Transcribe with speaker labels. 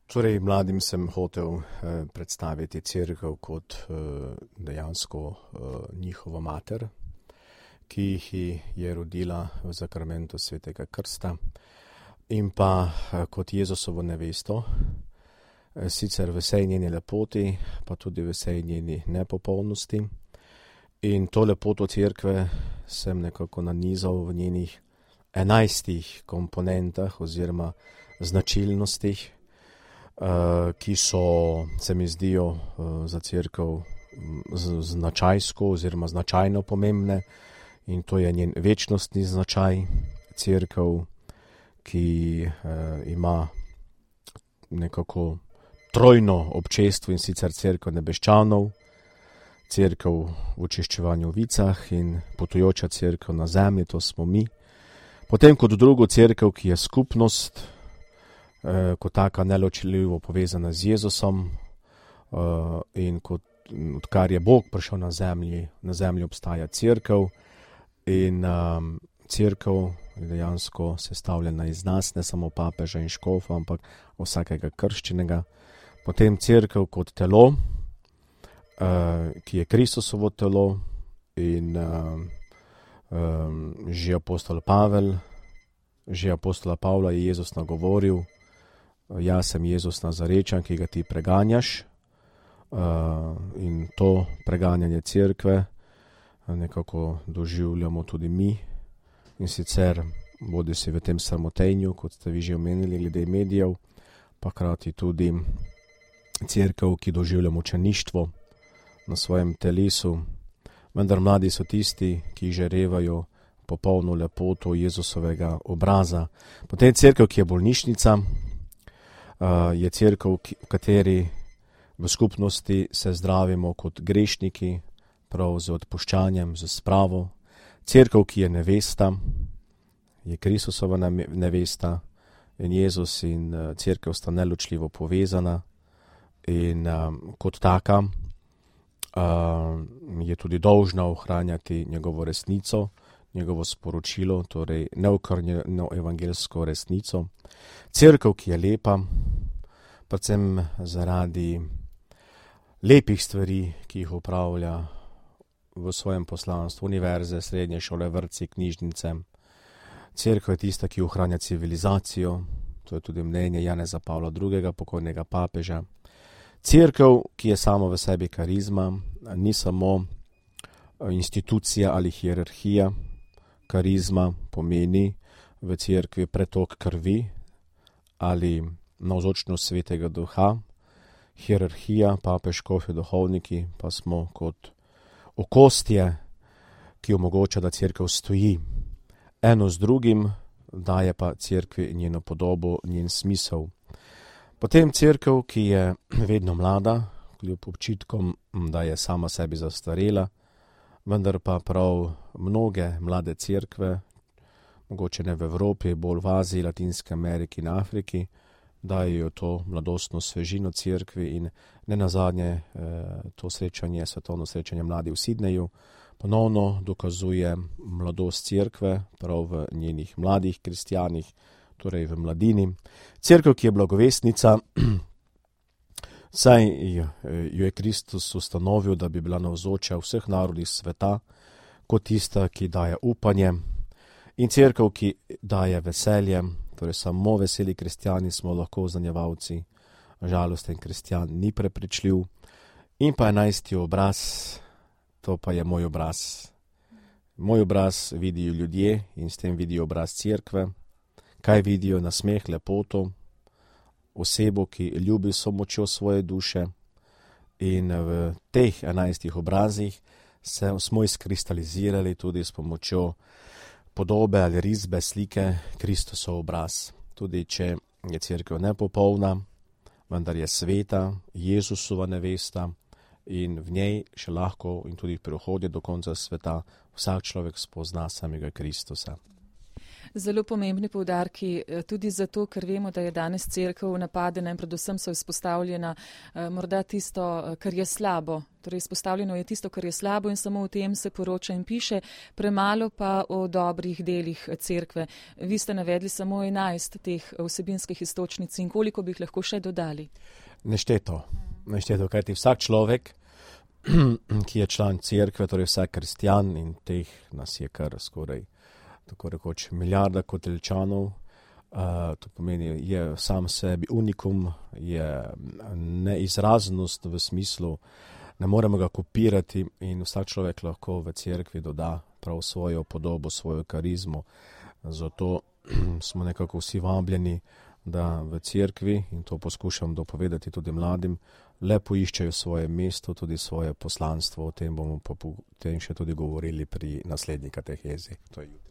Speaker 1: Torej, mladim sem hotel predstaviti cerkev kot dejansko njihovo mater, ki jih je rodila v zakramentu svetega krsta, in pa kot Jezusovo nevesto, sicer v vsej njeni lepoti, pa tudi v vsej njeni nepopolnosti. In to lepoto cerkve sem nekako nanizal v njenih 11 komponentah oziroma značilnostih, ki so, se mi zdijo za cerkev značajsko oziroma značajno pomembne, in to je njen večnostni značaj. Cerkev, ki ima nekako trojno občestvo, in sicer cerkev nebeščanov, cerkev v očiščevanju v vicah in potujoča cerkev na zemlji, to smo mi. Potem kot drugo cerkev, ki je skupnost, kot taka neločljivo povezana z Jezusom, in odkar je Bog prišel na zemlji obstaja cerkev, in cerkev je dejansko sestavljena iz nas, ne samo papeža in škofa, ampak vsakega krščenega. Potem cerkev kot telo, ki je Kristusovo telo, in že apostola Pavla je Jezus nagovoril: jaz sem Jezus Nazarečan, ki ga ti preganjaš. In to preganjanje cerkve nekako doživljamo tudi mi, in sicer bodisi v tem sramotenju, kot ste vi že omenili glede medijev, pa hkrati tudi cerkev, ki doživlja mučeništvo na svojem telesu. Vendar mladi so tisti, ki žarevajo popolno lepoto Jezusovega obraza. Potem cerkev, ki je bolnišnica, je cerkev, v kateri v skupnosti se zdravimo kot grešniki, prav z odpuščanjem, z spravo. Cerkev, ki je nevesta, je Kristusova nevesta, in Jezus in cerkev sta neločljivo povezana, in kot taka je tudi dolžna ohranjati njegovo resnico, njegovo sporočilo, torej neokrnjeno evangelsko resnico. Cerkev, ki je lepa, predvsem zaradi lepih stvari, ki jih opravlja v svojem poslanstvu, univerze, srednje šole, vrtci, knjižnice. Cerkev je tista, ki ohranja civilizacijo, to je tudi mnenje Janeza Pavla II., pokojnega papeža. Cerkev, ki je sama v sebi karizma, ni samo institucija ali hierarhija. Karizma pomeni v cerkvi pretok krvi ali navzočnost svetega duha. Hierarhija, papež, škofi, duhovniki pa smo kot okostje, ki omogoča, da cerkev stoji eno z drugim, daje pa cerkvi njeno podobo, njen smisel. Potem cerkev, ki je vedno mlada, kljub občitkom, da je sama sebi zastarela, vendar pa prav mnoge mlade cerkve, mogoče ne v Evropi, bolj v Aziji, Latinski Ameriki in Afriki, dajo to mladostno svežino cerkvi, in ne nazadnje to srečanje, svetovno srečanje mladih v Sydneyju, ponovno dokazuje mladost cerkve, prav v njenih mladih kristjanih, torej v mladini. Cerkev, ki je blagovestnica, saj jo je Kristus ustanovil, da bi bila navzoča vseh narodih sveta, kot tista, ki daje upanje, in cerkev, ki daje veselje, torej samo veseli kristjani smo lahko zanjevalci, žalosten kristjan ni prepričljiv. In pa 11. obraz, to pa je moj obraz. Moj obraz vidijo ljudje in s tem vidijo obraz cerkve. Kaj vidijo? Nasmeh, lepoto, osebo, ki ljubi s močjo svoje duše, in v teh 11 obrazih smo izkristalizirali tudi s pomočjo podobe ali risbe, slike Kristusov obraz. Tudi če je cerkev nepopolna, vendar je sveta, Jezusova nevesta, in v njej še lahko in tudi v prihodnje do konca sveta vsak človek spozna samega Kristusa.
Speaker 2: Zelo pomembni poudarki, tudi zato, ker vemo, da je danes cerkev napadena in predvsem so izpostavljena morda tisto, kar je slabo. Torej, izpostavljeno je tisto, kar je slabo in samo o tem se poroča in piše, premalo pa o dobrih delih cerkve. Vi ste navedli samo 11 teh vsebinskih iztočnic in koliko bi jih lahko še dodali?
Speaker 1: Nešteto, kajti vsak človek, ki je član cerkve, torej vsak kristjan in teh nas je kar skoraj tako rekoč milijarda Koteljčanov, to pomeni, je sam sebi unikum, je neizraznost v smislu, ne moremo ga kopirati in vsak človek lahko v cerkvi doda prav svojo podobo, svojo karizmo. Zato smo nekako vsi vabljeni, da v cerkvi, in to poskušam dopovedati tudi mladim, le poiščejo svoje mesto, tudi svoje poslanstvo. O tem bomo potem še tudi govorili pri naslednji katehezi. To je jutri.